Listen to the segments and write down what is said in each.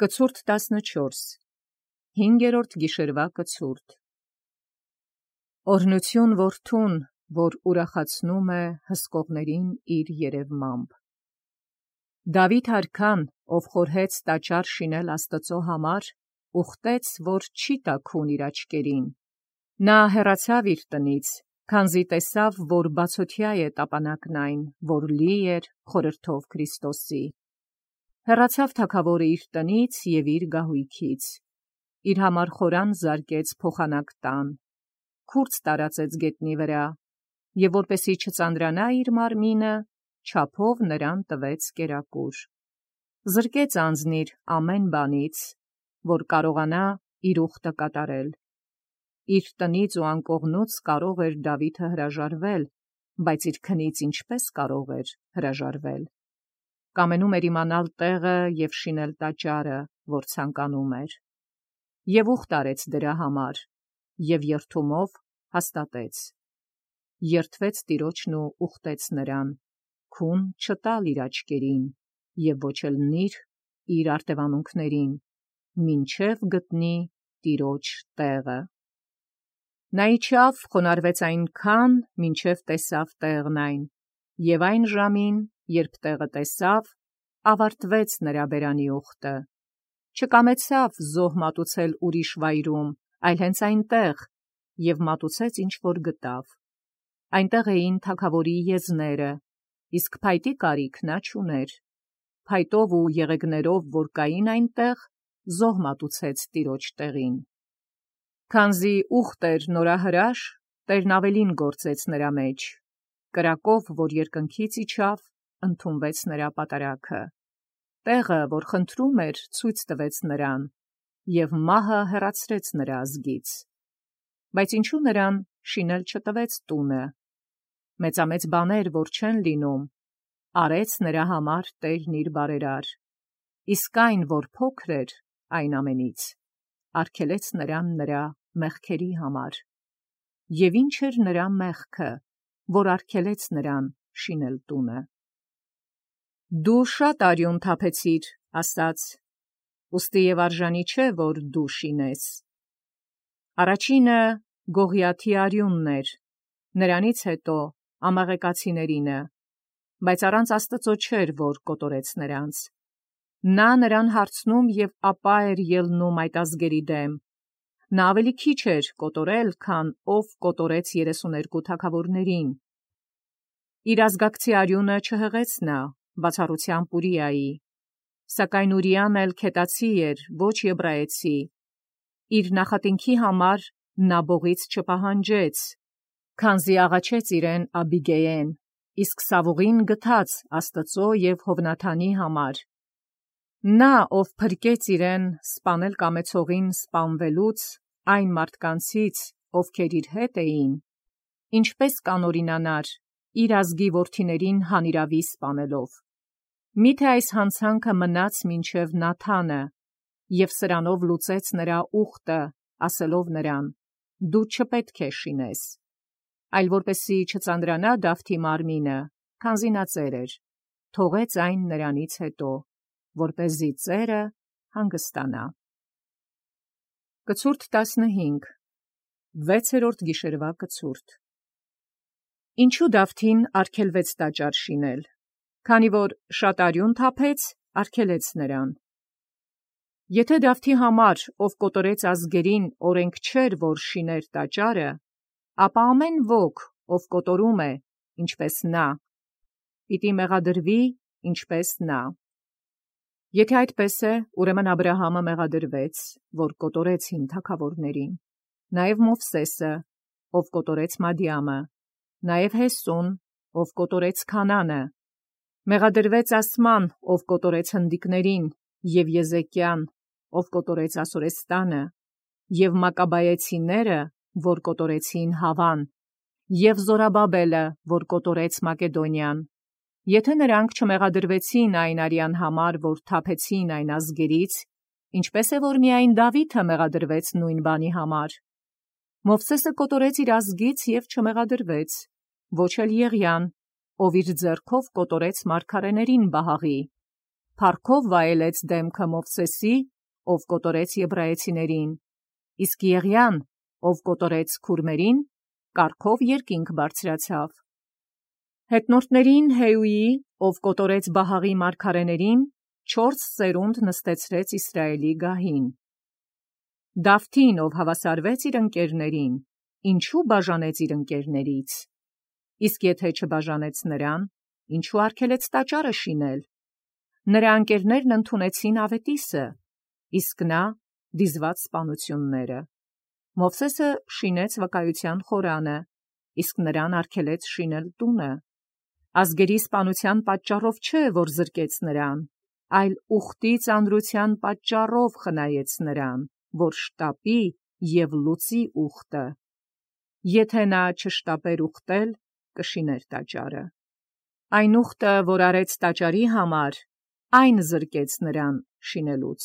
Կցուրդ 14 5-րդ գիշերվա կցուրդ Օրհնություն որդուն, որ ուրախացնում է հսկողներին իր երևմամբ։ Դավիթ արքան, ով խորհեց տաճար շինել Աստծո համար, ուխտեց, որ չի տաքուն իր աչքերին։ Նա հեռացավ իր տնից, քանզի տեսավ, որ բացօթյա է տապանակն այն, որ լի էր խորհրդով Քրիստոսի։ Հեռացավ թագավորը իր տնից և իր գահույքից, իր համար խորան զարկեց փոխանակ տան, քուրձ տարածեց գետնի վրա, և որպեսի չծանրանա իր մարմինը, չափով նրան տվեց կերակուր։ Զրկեց անձնիր ամեն բանից, որ կարողանա իր ուխտը կատարել։ Իր տնից ու անկողնուց կարող էր Դավիթը հրաժարվել, բայց իր քնից ինչպես կարող էր հրաժարվել։ Կամենում էր իմանալ տեղը և շինել տաճարը, որ ցանկանում էր։ Եվ ուխտ արեց դրա համար, և երդումով հաստատեց։ Երդվեց Տիրոջն ու ուխտեց նրան, քուն չտալ իր աչքերին, և ոչ էլ նիր իր արտևանունքներին, մինչև գտնի Տիրոջ տեղը։ Նա իջավ, խոնարհվեց այնքան, մինչև տեսավ տեղն այն, և այն ժամին, երբ տեղը տեսավ, ավարտվեց նրա բերանի ուխտը։ Չկամեցավ զոհ մատուցել ուրիշ վայրում, այլ հենց այնտեղ, և մատուցեց ինչ որ գտավ։ Այնտեղ էին թագավորի եզները, իսկ փայտի կարիք նա չուներ։ Փայտով ու եղեգներով, որ կային այնտեղ, զոհ մատուցեց Տիրոջ տեղին։ Քանզի ուխտ էր նորահրաշ, Տերն ավելին գործեց նրա մեջ, կրակով, որ երկնքից իջավ, ընդունվեց նրա պատարագը։ Տեղը, որ խնդրում էր, ցույց տվեց նրան, և մահը հեռացրեց նրա ազգից։ Բայց ինչու նրան շինել չտվեց տունը։ Մեծամեծ բաներ, որ չեն լինում, արեց նրա համար Տերն իր բարերար, իսկ այն, որ փոքր էր այն ամենից, արգելեց նրան նրա մեղքերի համար։ Եվ ինչ էր նրա մեղքը, որ արգելեց նրան շինել տունը։ Դու շատ արյուն թափեցիր, ասաց, ուստի և արժանի չէ, որ դու շինես։ Առաջինը Գողիաթի արյունն էր, նրանից հետո Ամաղեկացիներինը, բայց առանց Աստծո չէր, որ կոտորեց նրանց։ Նա նրան հարցնում և ապա էր ելնում այդ ազգերի դեմ։ Նա ավելի քիչ էր կոտորել, քան ով կոտորեց 32 թագավորներին։ Իր ազգակցի արյունը չհղեց նա, բացառությամբ Ուրիայի, սակայն Ուրիան էլ քետացի էր, ոչ եբրայեցի։ Իր նախատինքի համար նա բողից չպահանջեց, քանզի աղաչեց իրեն Աբիգայեն, իսկ Սավուղին գթած Աստծո և Հովնաթանի համար։ Նա, ով փրկեց իրեն սպանել կամեցողին սպանվելուց, այն մարդկանցից, ովքեր իր հետ էին, ինչպես կանօրինանար իր ազգի որդիներին հանիրավի սպանելով։ Միթե այս հանցանքը մնաց մինչև Նաթանը, և սրանով լուծեց նրա ուխտը, ասելով նրան. «Դու չպետք է շինես», այլ որպեսզի չծանրանա Դավթի մարմինը, քանզի նա ծեր էր, թողեց այն նրանից հետո, որպեսզի ծերը հանգստանա։ Կցուրդ 15 6-րդ գիշերվա կցուրդ Ինչու Դավթին արգելվեց տաճար շինել, քանի որ շատ արյուն թափեց, արգելեց նրան։ Եթե Դավթի համար, ով կոտորեց ազգերին, օրենք չէր, որ շիներ տաճարը, ապա ամեն ոք, ով կոտորում է, ինչպես նա, պիտի մեղադրվի, ինչպես նա։ Եթե այդպես է, ուրեմն Աբրահամը մեղադրվեց, որ կոտորեց հին թագավորներին, նաև Մովսեսը, ով կոտորեց Մադիամը, նաև Հեսուն, ով կոտորեց Քանանը, մեղադրվեց Ասման, ով կոտորեց հնդիկներին, և Եզեկիան, ով կոտորեց Ասորեստանը, և Մակաբայեցիները, որ կոտորեցին Հավան, և Զորաբաբելը, որ կոտորեց Մակեդոնիան։ Եթե նրանք չմեղադրվեցին այն արյան համար, որ թափեցին այն ազգերից, ինչպես է, որ միայն Դավիթը մեղադրվեց նույն բանի համար։ Մովսեսը կոտորեց իր ազգից և չմեղադրվեց, ոչ էլ Եղիան, ով իր ձեռքով կոտորեց մարգարեներին Բահաղի։ փառքով վայելեց դեմքը Մովսեսի, ով կոտորեց եբրայեցիներին, իսկ Եղիան, ով կոտորեց քուրմերին, կարգով երկինք բարձրացավ։ Հետնորդներին Հեյուի, ով կոտորեց Բահաղի մարգարեներին, 4 սերունդ նստեցրեց Իսրայելի գահին։ Դավթին, ով հավասարվեց իր ընկերներին, ինչու բաժանեց իր ընկերներից։ Իսկ եթե չբաժանեց նրան, ինչու արգելեց տաճարը շինել։ Նրա ընկերներն ընդունեցին Ավետիսը, իսկ նա դիզված սպանությունները։ Մովսեսը շինեց վկայության խորանը, իսկ նրան արգելեց շինել տունը։ Ազգերի սպանության պատճառով չէ, որ զրկեց նրան, այլ ուխտի ծանրության պատճառով խնայեց նրան, որ շտապի և լուծի ուխտը։ Եթե նա չշտապեր ուխտել, կշիներ տաճարը։ Այն ուխտը, որ արեց տաճարի համար, այն զրկեց նրան շինելուց։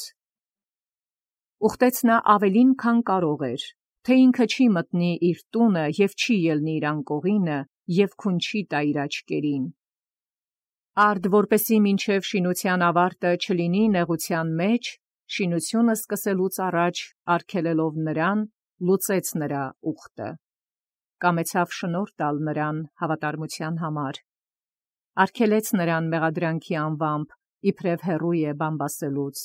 Ուխտեց նա ավելին, քան կարող էր, թե ինքը չի մտնի իր տունը և չի ելնի իր անկողինը և քուն չի տա իր աչքերին։ Արդ որպեսի մինչև շինության ավարտը չլինի նեղության մեջ, շինությունը սկսելուց առաջ արգելելով նրան, լուծեց նրա ուխտը։ Կամեցավ շնորհ տալ նրան հավատարմության համար։ Արգելեց նրան մեղադրանքի անվամբ, իբրև հեռու է բամբասելուց։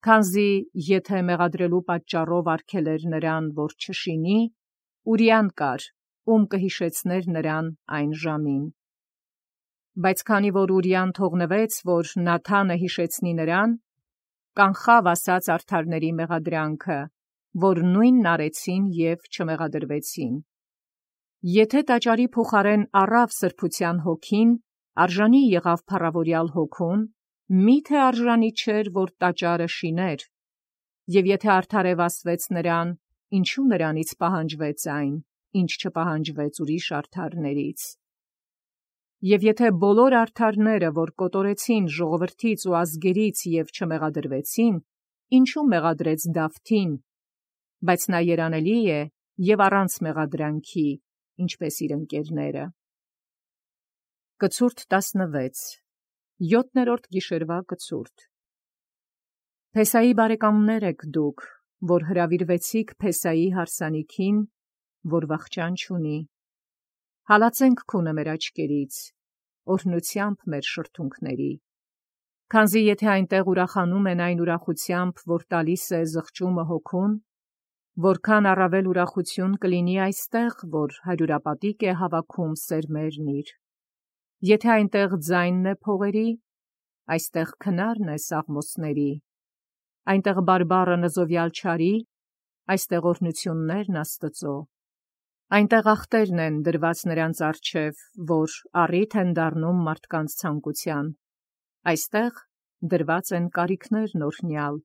Քանզի եթե մեղադրելու պատճառով արգելեր նրան, որ չշինի, Ուրիան կար, ում կհիշեցներ նրան այն ժամին։ Բայց քանի որ Ուրիան թողնվեց, որ Նաթանը հիշեցնի նրան, կանխավ ասած արդարների մեղադրանքը, որ նույնն արեցին և չմեղադրվեցին։ Եթե տաճարի փոխարեն առավ սրբության հոգին, արժանի եղավ փառավորյալ հոգուն, միթե արժանի չէր, որ տաճարը շիներ։ Եվ եթե արդարևասվեց նրան, ինչու նրանից պահանջվեց այն, ինչ չպահանջվեց ուրիշ արդարներից։ Եվ եթե բոլոր արդարները, որ կոտորեցին ժողովրդից ու ազգերից և չմեղադրվեցին, ինչու մեղադրեց Դավթին, բայց նա երանելի է և առանց մեղադրանքի, ինչպես իր ընկերները։ Կցուրդ 16 7-րդ գիշերվա կցուրդ։ Փեսայի բարեկամներ եք դուք, որ հրավիրվեցիք Փեսայի հարսանիքին, որ վախճան չունի։ Հալածենք քունը մեր աչքերից, օրհնությամբ մեր շրթունքների։ Քանզի եթե այնտեղ ուրախանում են այն ուրախությամբ, որ տալիս է զղջումը հոգուն, որքան առավել ուրախություն կլինի այստեղ, որ հարյուրապատիկ է հավաքում սերմերն իր։ Եթե այնտեղ ձայնն է փողերի, այստեղ քնարն է սաղմոսների, այնտեղ բարբառը նզովյալ չարի, այստեղ օրհնություններն Աստծո։ Այնտեղ ախտերն են դրված նրանց առջև, որ առիթ են դառնում մարդկանց ցանկության, այստեղ դրված են կարիքներն օրհնյալ,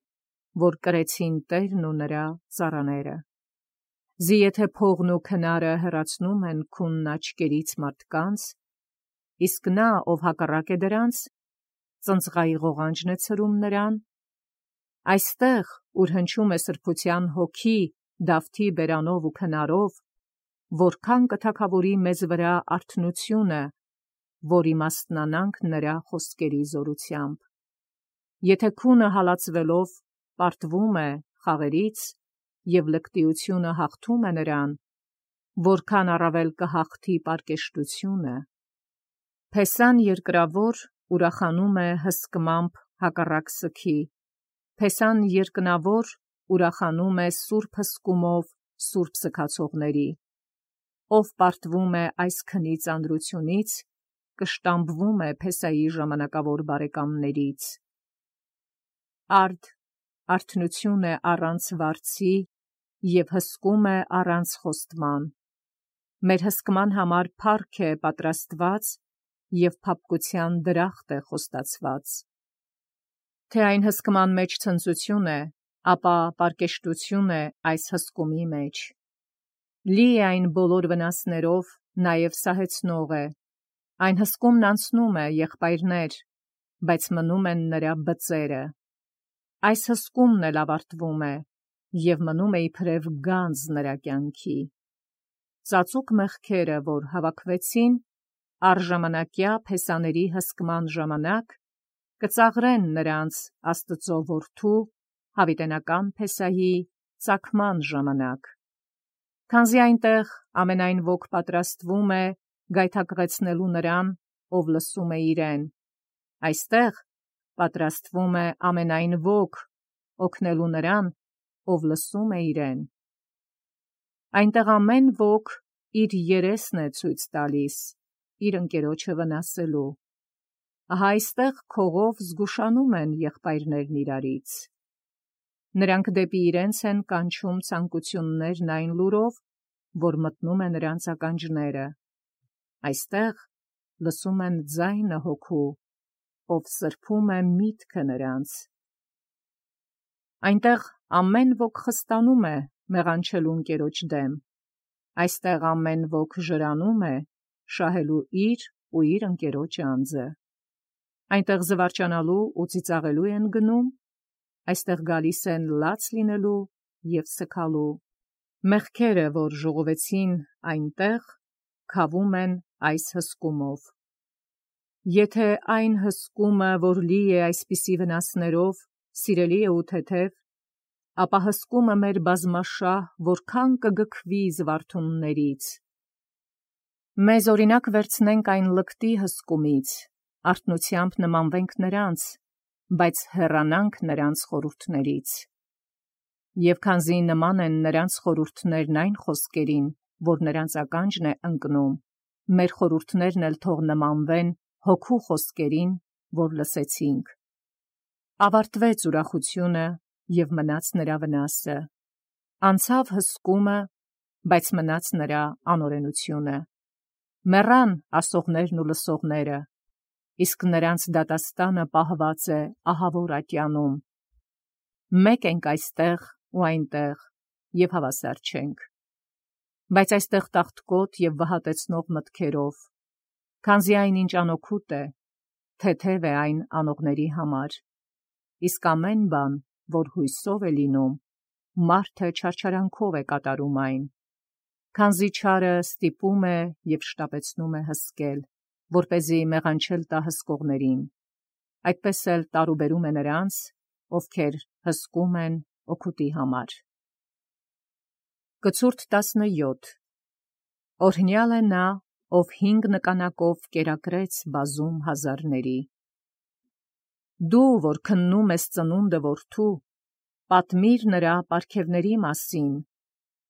որ կրեցին Տերն ու նրա ծառաները։ Զի եթե փողն ու քնարը հեռացնում են քունն աչքերից մարդկանց, իսկ նա, ով հակառակ է դրանց, ծնծղայի ղողանջն է ցրում նրան, այստեղ, ուր հնչում է սրբության հոգի Դավթի բերանով ու քնարով, որքան կթագավորի մեզ վրա արթնությունը, որ իմաստնանանք նրա խոսքերի զորությամբ։ Եթե քունը հալածվելով պարտվում է խաղերից և լկտիությունը հաղթում է նրան, որքան առավել կհաղթի պարկեշտությունը։ Փեսան երկրավոր ուրախանում է հսկմամբ հակառակ սգի, Փեսան երկնավոր ուրախանում է սուրբ հսկումով սուրբ սգացողների։ Ով պարտվում է այս քնի ծանրությունից, կշտամբվում է Փեսայի ժամանակավոր բարեկամներից։ Արդ արթնություն է առանց վարձի և հսկում է առանց խոստման։ Մեր հսկման համար փառք է պատրաստված և փափկության դրախտ է խոստացված։ Թե այն հսկման մեջ ցնծություն է, ապա պարկեշտություն է այս հսկումի մեջ։ Լի է այն բոլոր վնասներով, նաև սահեցնող է։ Այն հսկումն անցնում է, եղբայրներ, բայց մնում են նրա բծերը։ Այս հսկումն էլ ավարտվում է և մնում է իբրև գանձ նրա կյանքի։ Ծածուկ մեղքերը, որ հավաքվեցին, առժամանակյա Փեսաների հսկման ժամանակ, կծաղրեն նրանց Աստծո որդու հավիտենական Փեսահի ծագման ժամանակ։ Քանզի այնտեղ ամենայն ոք պատրաստվում է գայթակղեցնելու նրան, ով լսում է իրեն, այստեղ պատրաստվում է ամենայն ոք օգնելու նրան, ով լսում է իրեն։ Այնտեղ ամեն ոք իր երեսն է ցույց տալիս, իր ընկերոջը վնասելու։ Ահա այստեղ քողով զգուշանում են եղբայրներն իրարից։ Նրանք դեպի իրենց են կանչում ցանկություններն այն լուրով, որ մտնում է նրանց ականջները։ Այստեղ լսում են ձայնը հոգու, ով սրբում է միտքը նրանց։ Այնտեղ ամեն ոք խստանում է մեղանչելու ընկերոջ դեմ։ Այստեղ ամեն ոք ժրանում է շահելու իր ու իր ընկերոջ անձը։ Այնտեղ զվարճանալու ու ծիծաղելու են գնում, այստեղ գալիս են լաց լինելու և սգալու։ Մեղքերը, որ ժողովեցին այնտեղ, քավում են այս հսկումով։ Եթե այն հսկումը, որ լի է այսպիսի վնասներով, սիրելի է ու թեթև, ապա հսկումը մեր բազմաշահ որքան կգքվի զվարթուններից։ Մեզ օրինակ վերցնենք այն լկտի հսկումից, արթնությամբ նմանվենք նրանց, բայց հեռանանք նրանց խորհուրդներից։ Եվ քանզի նման են նրանց խորհուրդներն այն խոսքերին, որ նրանց ականջն է ընկնում, մեր խորհուրդներն էլ թող նմանվեն հոգու խոսքերին, որ լսեցինք։ Ավարտվեց ուրախությունը և մնաց նրա վնասը։ Անցավ հսկումը, բայց մնաց նրա անօրենությունը։ Մեռան ասողներն ու լսողները, իսկ նրանց դատաստանը պահված է ահավոր ատյանում։ Մեկ ենք այստեղ ու այնտեղ, և հավասար չենք։ Բայց այստեղ տաղտկոտ և վհատեցնող մտքերով, քանզի այնինչ անօգուտ է, թեթև է այն անողների համար, իսկ ամեն բան, որ հույսով է լինում, մարդը չարչարանքով է կատարում այն, քանզի չարը ստիպում է և շտապեցնում է հսկել, որպեսզի մեղանչել տա հսկողներին, այդպես էլ տարուբերում է նրանց, ովքեր հսկում են օգուտի համար։ Կցուրդ 17 Օրհնյալ է նա, ով 5 նկանակով կերակրեց բազում հազարների։ Դու, որ քննում ես ծնունդը որդու, պատմիր նրա պարգևների մասին,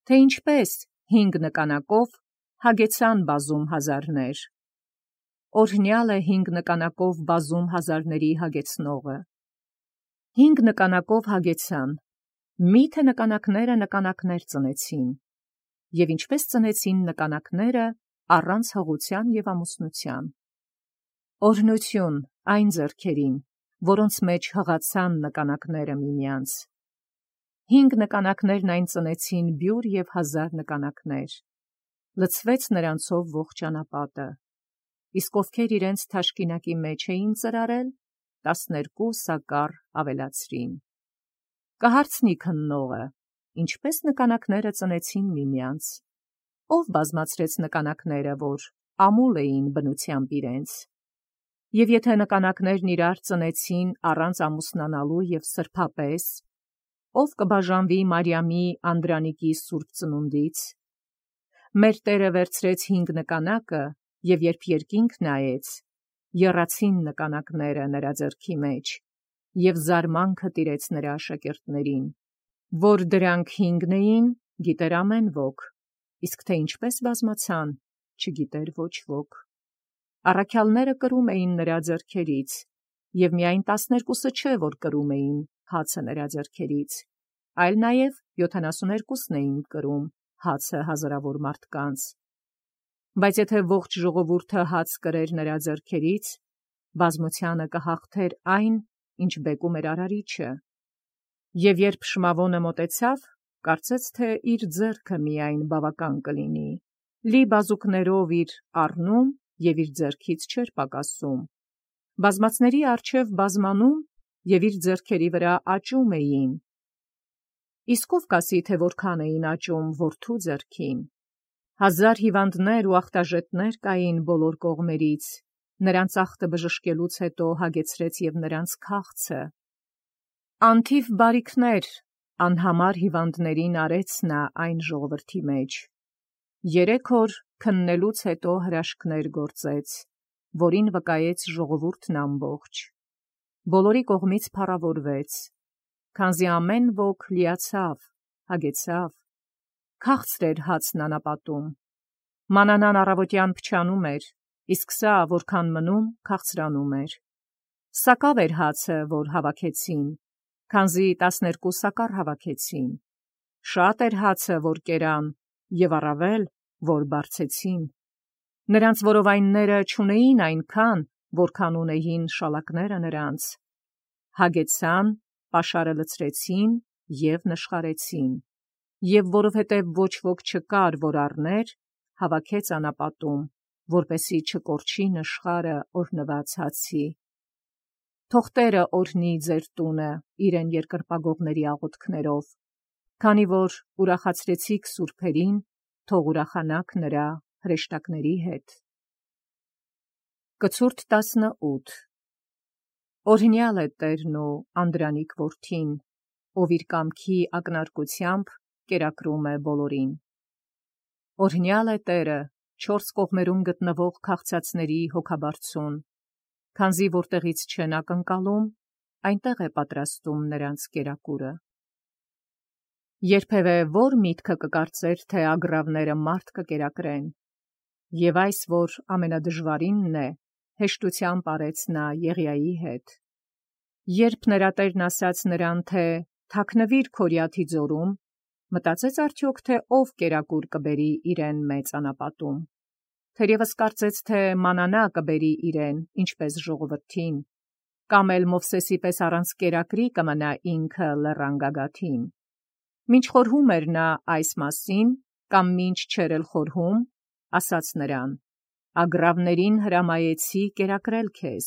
թե ինչպես 5 նկանակով հագեցան բազում հազարներ։ Օրհնյալ է 5 նկանակով բազում հազարների հագեցնողը։ 5 նկանակով հագեցան, միթե նկանակները նկանակներ ծնեցին, և ինչպես ծնեցին նկանակները առանց հղության և ամուսնության։ Օրհնություն այն ձեռքերին, որոնց մեջ հղացան նկանակները միմյանց։ 5 նկանակներն այն ծնեցին բյուր և 1000 նկանակներ։ Լցվեց նրանցով ողջ ճանապատը, իսկ ովքեր իրենց թաշկինակի մեջ էին ծրարել, 12 սակար ավելացրին։ Կհարցնի քննողը, ինչպես նկանակները ծնեցին միմյանց, ով բազմացրեց նկանակները, որ ամուլ էին բնությամբ իրենց, և եթե նկանակներն իրար ծնեցին առանց ամուսնանալու և սրբապես, ով կբաժանվի Մարիամի Անդրանիկի սուրբ ծնունդից։ Մեր Տերը վերցրեց 5 նկանակը, և երբ երկինք նայեց, եռացին նկանակները նրա ձեռքի մեջ, և զարմանքը տիրեց նրա աշակերտներին, որ դրանք 5 էին, գիտեր ամեն ոք, իսկ թե ինչպես բազմացան, չգիտեր ոչ ոք։ Առաքյալները կրում էին նրա ձեռքերից, և միայն 12-ը չէ, որ կրում էին հացը նրա ձեռքերից, այլ նաև 72-ն էին կրում հացը հազարավոր մարդկանց։ Բայց եթե ողջ ժողովուրդը հաց կրեր նրա ձեռքերից, բազմությանը կհաղթեր այն, ինչ բեկում էր Արարիչը։ Եվ երբ Շմավոնը մոտեցավ, կարծեց, թե իր ձեռքը միայն բավական կլինի, լի բազուկներով իր առնում և իր ձեռքից չէր պակասում։ Բազմացների առջև բազմանում և իր ձեռքերի վրա աճում էին։ Իսկ ով կասի, թե որքան էին աճում որդու ձեռքին։ 1000 հիվանդներ ու ախտաժետներ կային բոլոր կողմերից, նրանց ախտը բժշկելուց հետո հագեցրեց և նրանց քաղցը։ Անթիվ բարիքներ անհամար հիվանդներին արեց նա այն ժողովրդի մեջ։ 3 օր քննելուց հետո հրաշքներ գործեց, որին վկայեց ժողովուրդն ամբողջ։ Բոլորի կողմից փառավորվեց, քանզի ամեն ոք լիացավ, հագեցավ, քաղցր էր հացն անապատում։ Մանանան առավոտյան փչանում էր, իսկ սա որքան մնում քաղցրանում էր։ Սակավ էր հացը, որ հավաքեցին, քանզի 12 սակար հավաքեցին։ Շատ էր հացը, որ կերան, և առավել, որ բարձեցին։ Նրանց որովայնները չունեին այնքան, որքան ունեին շալակները նրանց։ Հագեցան, պաշարը լցրեցին և նշխարեցին։ Եվ որովհետև ոչ ոք չկար, որ առներ, հավաքեց անապատում, որպեսզի չկորչի նշխարը օրհնված հացի։ Թող Տերը օրհնի ձեր տունը իրեն երկրպագողների աղոթքներով, քանի որ ուրախացրեցիք սուրբերին, թող ուրախանաք նրա հրեշտակների հետ։ Կցուրդ 18 Օրհնյալ է Տերն ու Անդրանիկ որդին, ով իր կամքի ակնարկությամբ կերակրում է բոլորին։ Օրհնյալ է Տերը, 4 կողմերում գտնվող քաղցածների հոգաբարձուն, քանզի որտեղից չեն ակնկալում, այնտեղ է պատրաստում նրանց կերակուրը։ Երբևէ որ միտքը կկարծեր, թե ագռավները մարդ կկերակրեն, և այս, որ ամենադժվարինն է, հեշտությամբ արեց նա Եղիայի հետ։ Երբ նրա տերն ասաց նրան, թե թաքնվիր Քորիաթի ձորում, մտածեց արդյոք, թե ով կերակուր կբերի իրեն մեծ անապատում։ Թերևս կարծեց, թե մանանա կբերի իրեն, ինչպես ժողովրդին, կամ էլ Մովսեսի պես առանց կերակրի կմնա ինքը լեռան գագաթին։ Մինչ խորհում էր նա այս մասին, կամ մինչ չէր էլ խորհում, ասաց նրան. ագռավներին հրամայեցի կերակրել քեզ։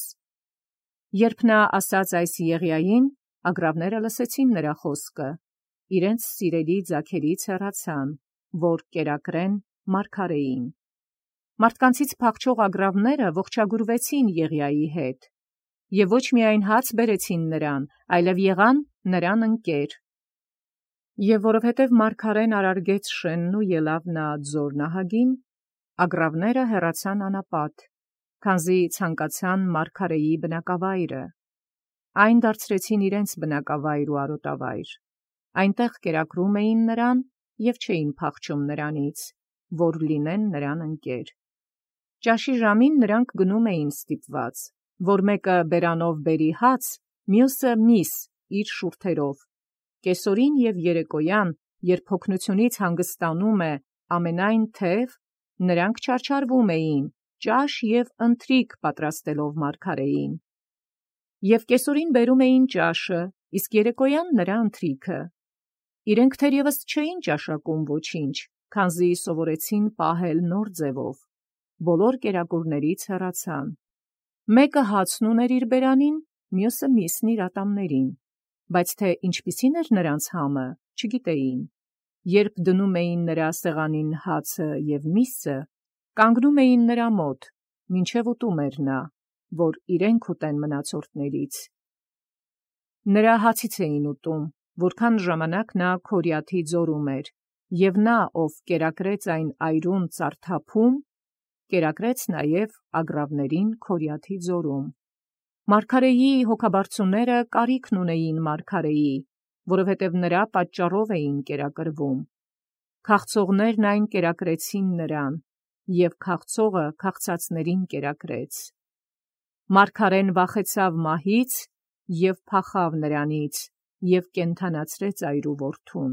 Երբ նա ասաց այս Եղիային, ագռավները լսեցին նրա խոսքը, իրենց սիրելի ձագերից հեռացան, որ կերակրեն մարգարեին։ Մարդկանցից փախչող ագռավները ողջագուրվեցին Եղիայի հետ, և ոչ միայն հաց բերեցին նրան, այլև եղան նրան ընկեր։ Եվ որովհետև մարգարեն արարգեց շենն ու ելավ նա ձոր նահագին, ագռավները հեռացան անապատ, քանզի ցանկացան մարգարեի բնակավայրը։ Այն դարձրեցին իրենց բնակավայր ու արոտավայր։ Այնտեղ կերակրում էին նրան և չէին փախչում նրանից, որ լինեն նրան ընկեր։ Ճաշի ժամին նրանք գնում էին ստիպված, որ մեկը բերանով բերի հաց, մյուսը միս իր շուրթերով։ Կեսօրին և երեկոյան, երբ հոգնությունից հանգստանում է ամենայն թև, նրանք չարչարվում էին, ճաշ և ընթրիք պատրաստելով մարգարեին։ Եվ կեսօրին բերում էին ճաշը, իսկ երեկոյան նրա ընթրիքը։ Իրենք թերևս չէին ճաշակում ոչինչ, քանզի սովորեցին պահել նոր ձևով։ Բոլոր կերակուրներից հեռացան։ Մեկը հացն ուներ իր բերանին, մյուսը միսն իր ատամներին, բայց թե ինչպիսին էր նրանց համը, չգիտեին։ Երբ դնում էին նրա սեղանին հացը և միսը, կանգնում էին նրա մոտ, մինչև ուտում էր նա, որ իրենք ուտեն մնացորդներից։ Նրա հացից էին ուտում, որքան ժամանակ նա Քորիաթի ձորում էր, և նա, ով կերակրեց այն այրուն ծարթափում, կերակրեց նաև ագռավներին Քորիաթի ձորում։ Մարգարեի հոգաբարձուները կարիքն ունեին մարգարեի, որովհետև նրա պատճառով էին կերակրվում։ Քաղցողներն այն կերակրեցին նրան, և քաղցողը քաղցածներին կերակրեց։ Մարգարեն վախեցավ մահից և փախավ նրանից և կենդանացրեց այրու որդուն։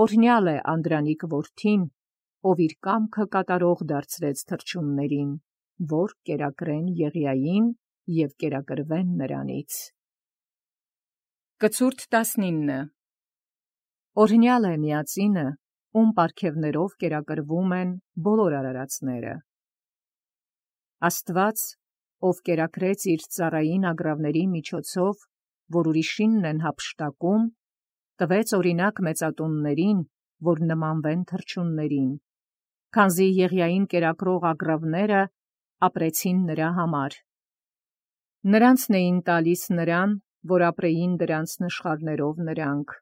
Օրհնյալ է Անդրանիկ որդին, ով իր կամքը կատարող դարձրեց թռչուններին, որ կերակրեն Եղիային և կերակրվեն նրանից։ Կցուրդ 19 Օրհնյալ է միածինը, ում պարգևներով կերակրվում են բոլոր արարածները։ Աստված, ով կերակրեց իր ծառային ագռավների միջոցով, որ ուրիշինն են հափշտակում, տվեց օրինակ մեծատուններին, որ նմանվեն թռչուններին, քանզի Եղիային կերակրող ագռավները ապրեցին նրա համար։ Նրանցն էին տալիս նրան, որ ապրեին դրանց նշխարներով նրանք,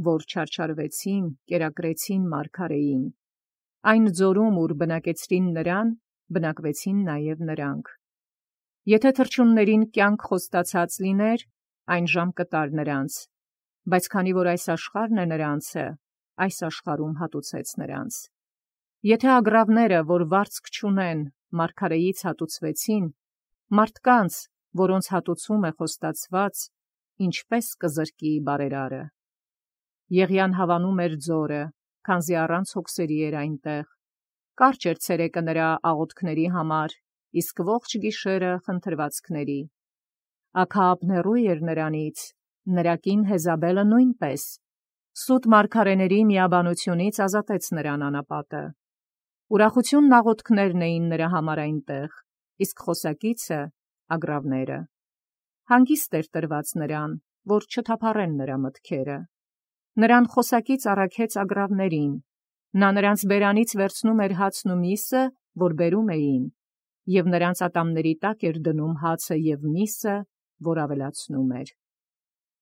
որ չարչարվեցին, կերակրեցին մարգարեին։ Այն ձորում, ուր բնակեցրին նրան, բնակվեցին նաև նրանք։ Եթե թռչուններին կյանք խոստացած լիներ, այն ժամ կտար նրանց, բայց քանի որ այս աշխարհն է նրանցը, այս աշխարհում հատուցեց նրանց։ Եթե ագռավները, որ վարձք չունեն, մարգարեից հատուցվեցին, մարդկանց, որոնց հատուցում է խոստացված, ինչպես կզրկի բարերարը։ Եղիան հավանում էր ձորը, քանզի առանց հոգսերի էր այնտեղ։ Կարճ էր ցերեկը նրա աղոթքների համար, իսկ ողջ գիշերը խնդրվածքների։ Աքահապն էր նրանից, նրա կին Հեզաբելը նույնպես։ Սուտ մարգարեների միաբանությունից ազատեց նրան անապատը։ Ուրախությունն աղոթքներն էին նրա համար այնտեղ, իսկ խոսակիցը ագռավները։ Հանգիստ էր տրված նրան, որ չթափառեն նրա մտքերը։ Նրան խոսակից առաքեց ագռավներին։ Նա նրանց բերանից վերցնում էր հացն ու միսը, որ բերում էին, և նրանց ատամների տակ էր դնում հացը և միսը, որ ավելացնում էր։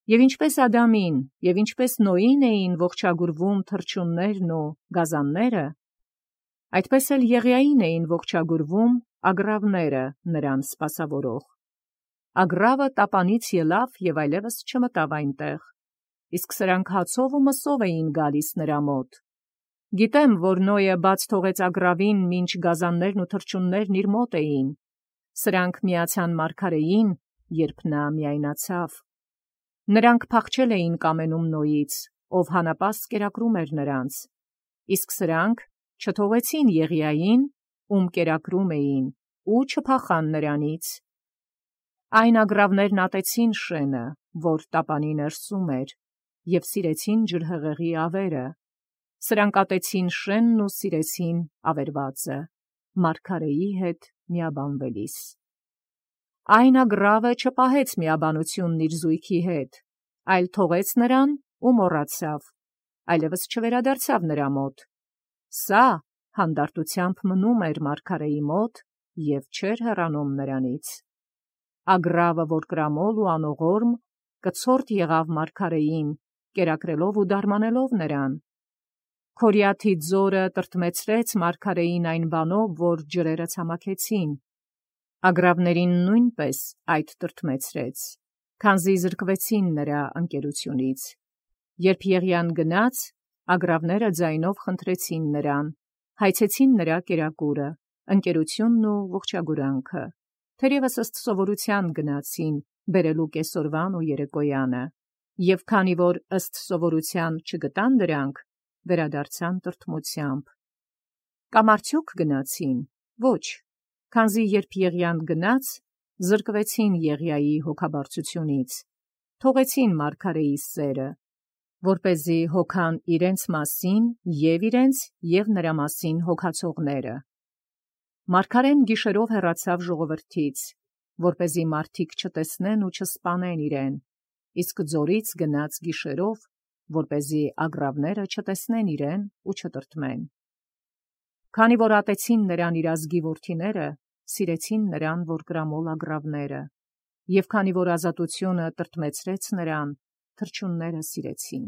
Եվ ինչպես Ադամին, և ինչպես Նոյին էին ողջագուրվում թռչուններն ու գազանները, այդպես էլ Եղիային էին ողջագուրվում ագռավները նրան սպասավորող։ Ագռավը տապանից ելավ և այլևս չմտավ այնտեղ, իսկ սրանք հացով ու մսով էին գալիս նրա մոտ։ Գիտեմ, որ Նոյը բաց թողեց ագռավին, մինչ գազաններն ու թռչուններն իր մոտ էին։ Սրանք միացան մարգարեին, երբ նա միայնացավ։ Նրանք փախչել էին կամենում Նոյից, ով հանապաստ կերակրում էր նրանց, իսկ սրանք չթողեցին Եղիային, ում կերակրում էին, ու չփախան նրանից։ Այն ագռավներն ատեցին շենը, որ տապանի ներսում էր, և սիրեցին ջրհեղեղի ավերը։ Սրանք ատեցին շենն ու սիրեցին ավերվածը, մարգարեի հետ միաբանվելիս։ Այն ագռավը չպահեց միաբանությունն իր զույգի հետ, այլ թողեց նրան ու մոռացավ, այլևս չվերադարձավ նրա մոտ։ Սա հանդարտությամբ մնում էր մարգարեի մոտ և չէր հեռանում նրանից։ Ագռավը, որ կրամոլ ու անողորմ, կցորդ եղավ մարգարեին, կերակրելով ու դարմանելով նրան։ Քորիաթի ձորը տրտմեցրեց մարգարեին այն բանով, որ ջրերը ցամաքեցին։ Ագռավներին նույնպես այդ տրտմեցրեց, քանզի զրկվեցին նրա ընկերությունից։ Երբ Եղիան գնաց, ագռավները ձայնով խնդրեցին նրան, հայցեցին նրա կերակուրը, ընկերությունն ու ողջագուրանքը, թերևս ըստ սովորության գնացին, բերելու կեսօրվան ու երեկոյանը, և քանի որ ըստ սովորության չգտան դրանք, վերադարձան տրտմությամբ։ Կամ արդյոք գնացին։ Ոչ, քանզի երբ Եղիան գնաց, զրկվեցին Եղիայի հոգաբարձությունից, թողեցին մարգարեի սերը, որպեսզի հոգան իրենց մասին և իրենց և նրա մասին հոգացողները։ Մարգարեն գիշերով հեռացավ ժողովրդից, որպեսզի մարդիկ չտեսնեն ու չսպանեն իրեն, իսկ ձորից գնաց գիշերով, որպեսզի ագռավները չտեսնեն իրեն ու չտրտմեն։ Քանի որ ատեցին նրան իր ազգի որդիները, սիրեցին նրան, որ կրամոլ ագռավները, և քանի որ ազատությունը տրտմեցրեց նրան, թռչունները սիրեցին։